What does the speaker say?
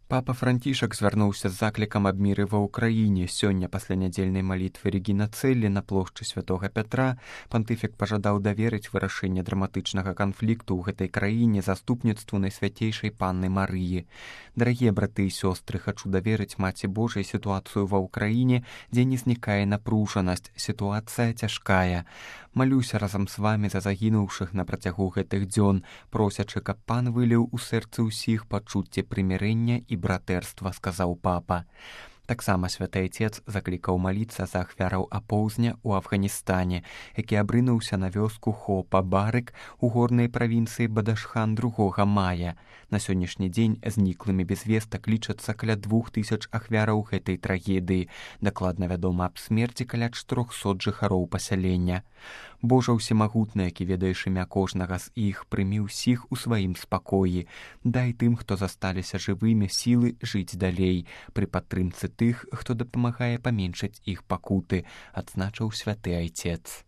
Папа Францішак звярнуўся з заклікам аб міры ва ўкраіне. Сёння пасля нядзельнай малітвы Регіна Цэллі на плошчы святога Пятра пантыфік пажадаў даверыць вырашэнне драматычнага канфлікту ў гэтай краіне заступніцтву Найсвяцейшай Панны Марыі. Дарагія браты і сёстры, хачу даверыць Маці Божай сітуацыю ва ўкраіне, дзе не знікае напружанасць, сітуацыя цяжкая. Малюся разам з вамі за загінуўшых на працягу гэтых дзён, просячы, каб пан выліў у сэрцы ўсіх пачуцце прымірэння і братэрства, сказаў папа. Таксама святы Айцец заклікаў маліцца за ахвяраў апоўзня ў Афганістане, які абрынуўся на вёску Хопа-Барык у горнай правінцыі Бадашхан 2 мая. На сённяшні дзень зніклымі без вестак лічацца каля 2000 ахвяраў гэтай трагедыі. Дакладна вядома аб смерці каля 400 жыхароў пасялення. Божа ўсемагутны, які ведаеш імя кожнага з іх, прымі ўсіх у сваім спакоі. Дай тым, хто засталіся жывымі, сілы жыць далей, пры падтрымцы тых, хто дапамагае паменшыць іх пакуты, адзначыў святы Айцец.